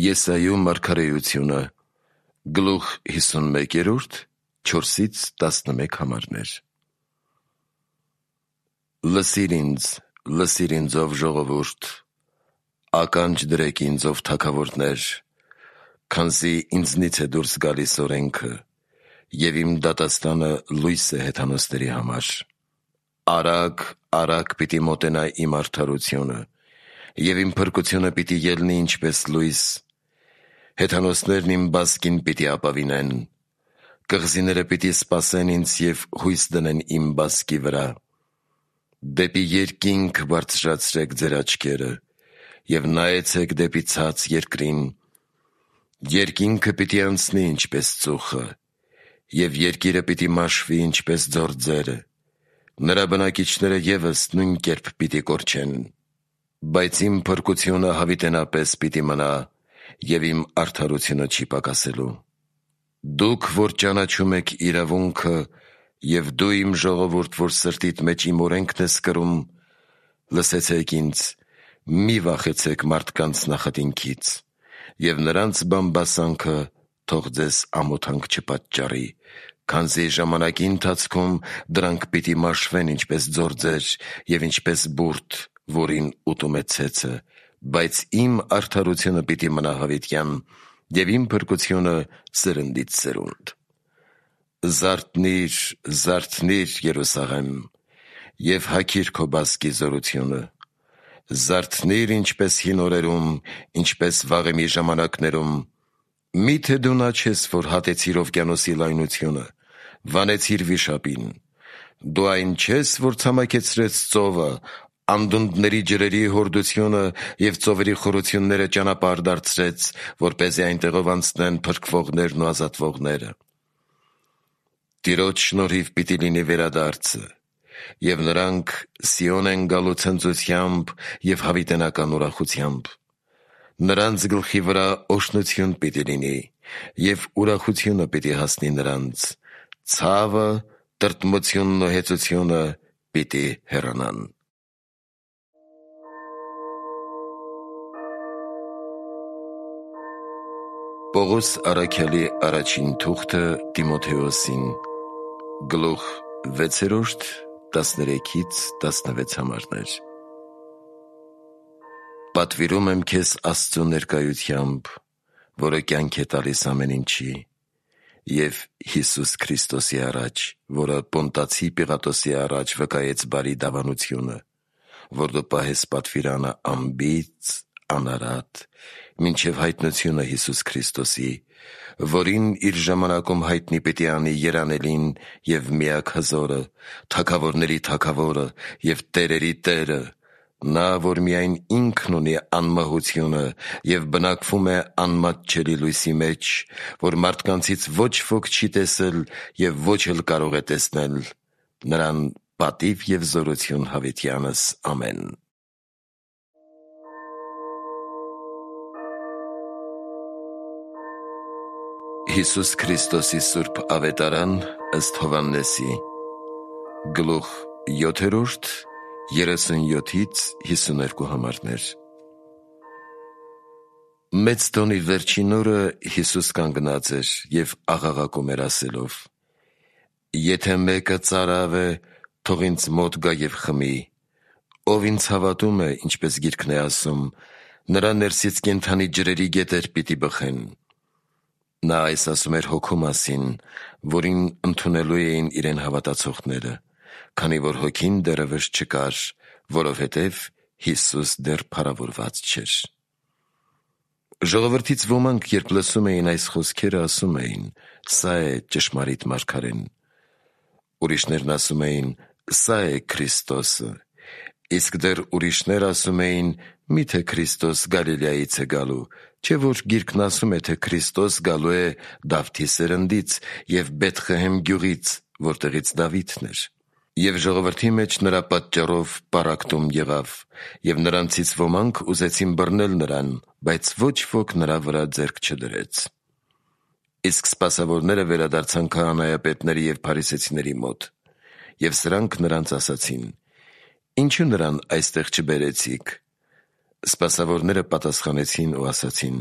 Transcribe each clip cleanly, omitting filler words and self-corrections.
Եսայու մարգարեությունը, գլուխ 51, 4-11 համարներ։ Լսիր ինձ ով ժողովուրդ, ականջ դրեք ինձ ով թագավորներ, քանզի ինձնից է դուրս գալիս օրենքը, և իմ դատաստանը լույս է հեթանոսների համար։ Արագ պիտի մոտենա իմ արդարությունը, և իմ փրկությունը պիտի ելնի ինչպես լույս։ Հեթանոսներն իմ բասկին պիտի ապավինեն, կղզիները պիտի սպասեն ինձ և հույս դնեն իմ բասկի վրա։ Դեպի երկինք բարձրացրեք ձեր աչքերը և նայեցեք դեպի ցած երկրին։ Երկինքը պիտի անցնի ինչպես ծուխը, և երկիրը պիտի մաշվի ինչպես ձորձերը, նրա բնակիչները ևս նույն կերպ պիտի կորչեն։ Բայց իմ փրկությունը հավիտենապես պիտի մնա, և իմ արդարությունը չի պակասելու։ Դուք, որ ճանաչում եք իրավունքը, և դու իմ ժողովուրդ, որ սրտիդ մեջ իմ օրենքն ես կրում, լսեցեք ինձ, մի վախեցեք մարդկանց նախատինքից, և նրանց բամբասանքը թող ձեզ ամոթանք չպատճառի, քանզի ժամանակի ընթացքում դրանք պիտի մաշվեն ինչպես ձորձեր և ինչպես բուրդ, որին ուտում է ցեցը, բայց իմ արդարությունը պիտի մնա հավիտյան, և իմ փրկությունը սերնդից սերունդ։ Զարթնի՛ր, Երուսաղեմ, և հագիր քո բասկի զորությունը։ Զարթնի՛ր ինչպես հին օրերում, ինչպես վաղեմի ժամանակներում։ Մի՞թե դու նա չես, որ հատեցիր օվկիանոսի լայնությունը, վանեցիր վիշապին։ Դու այն չես, որ ցամաքեցրեց ծովը, անդունդների ջրերի հորդությունը և ծովերի խորությունները ճանապարհ դարձրեց, որպեսզի այնտեղով անցնեն փրկվողներն ու ազատվողները։ Տիրոջ շնորհիվ պիտի լինի վերադարձը, և նրանք Սիոն են գալու ցնծությամբ և հավիտենական ուրախությամբ։ Նրանց գլխի վրա օրհնություն պիտի լինի, և ուրախությունը պիտի հասնի նրանց, ցավը, տրտմությունն ու հեծությունը պիտի հեռանան։ Պողոս առաքյալի առաջին թուղթը Տիմոթեոսին, գլուխ 6, 13-16 համարներ։ Պատվիրում եմ քեզ Աստծու ներկայությամբ, որը կյանք է տալիս ամեն ինչի, և Հիսուս Քրիստոսի առաջ, որը Պոնտացի Պիղատոսի առաջ վկայեց բարի դավանությունը, որ դու պահես պատվիրանը անբիծ, անարատ, մինչև հայտնությունը Հիսուս Քրիստոսի, որին իր ժամանակում հայտնի պիտի անի երանելին և միակ հզորը, թագավորների թագավորը և տերերի Տերը, նա, որ միայն ինքն ունի անմահությունը և բնակվում է անմատչելի լույսի մեջ, որ մարդկանցից ոչ ոք չի տեսել և ոչ էլ կարող է տեսնել, նրան պատիվ և զորություն հավիտյանս ամեն։ Հիսուս Քրիստոսի սուրբ ավետարան ըստ Հովհաննեսի, գլուխ 7, 37-52 համարներ։ Մեծ տոնի վերջին օրը Հիսուս կանգնած էր և աղաղակում էր ասելով. «Եթե մեկը ծարավ է, թող ինձ մոտ գա և խմի։ Ով ինձ հավատում է, ինչպես Գիրքն է ասում, նրա ներսից կենդանի ջրերի գետեր պիտի բխեն»։ Նա այս ասում էր Հոգու մասին, որին ընդունելու էին իրեն հավատացողները, քանի որ Հոգին դեռևս չկար, որովհետև Հիսուս դեռ փառավորված չէր։ Ժողովրդից ոմանք, երբ լսում էին այս խոսքերը, ասում էին. «Սա է ճշմարիտ մարգարեն»։ Ուրիշներն ասում էին. «Սա է Քրիստոսը»։ Իսկ դեռ ուրիշներ ասում էին. «Մի՞թե Քրիստոս Գալիլեայից է գալու, չէ՞ որ Գիրքն ասում է, թե Քրիստոս գալու է Դավթի սերնդից և Բեթղեհեմ գյուղից, որտեղից Դավիթն էր»։ Եվ ժողովրդի մեջ նրա պատճառով պառակտում եղավ, և նրանցից ոմանք ուզեցին բռնել նրան, բայց ոչ ոք նրա վրա ձեռք չդրեց։ Իսկ սպասավորները վերադարձան քահանայապետների և փարիսեցիների մոտ, և սրանք նրանց ասացին. «Ինչու նրան այստեղ չբերեցիք»։ Սպասավորները պատասխանեցին ու ասացին.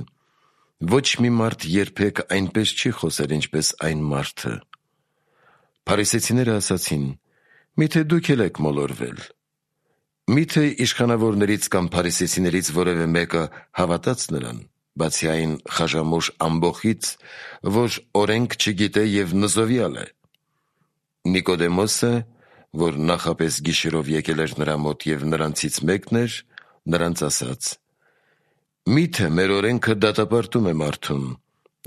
Ոչ մի մարդ երբեք այնպես չի խոսել, ինչպես այն մարդը։ Փարիսեցիները ասացին. «Միթե դուք էլ եք մոլորվել»։ Միթե իշխանավորներից կամ փարիսեցիներից որևէ մեկը հավատաց նրան, բացի այն խաժամուշ ամբոխից, որ օրենք չգիտե և նզովյալ է։ Նիկոդեմոսը, որ նախապես գիշերով եկել էր նրա մոտ և նրանցից մեկն էր, նրանց ասաց. «Միթե մեր օրենքը դատապարտում է մարդուն,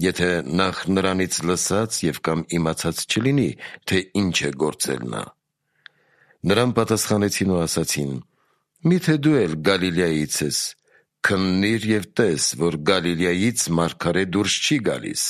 եթե նախ նրանից լսած և կամ իմացած չլինի, թե ինչ է գործել նա»։ Նրան պատասխանեցին ու ասացին. «Միթե դու էլ Գալիլեայից ես, քննիր և տես, որ Գալիլեայից մարգարե դուրս չի գալիս»։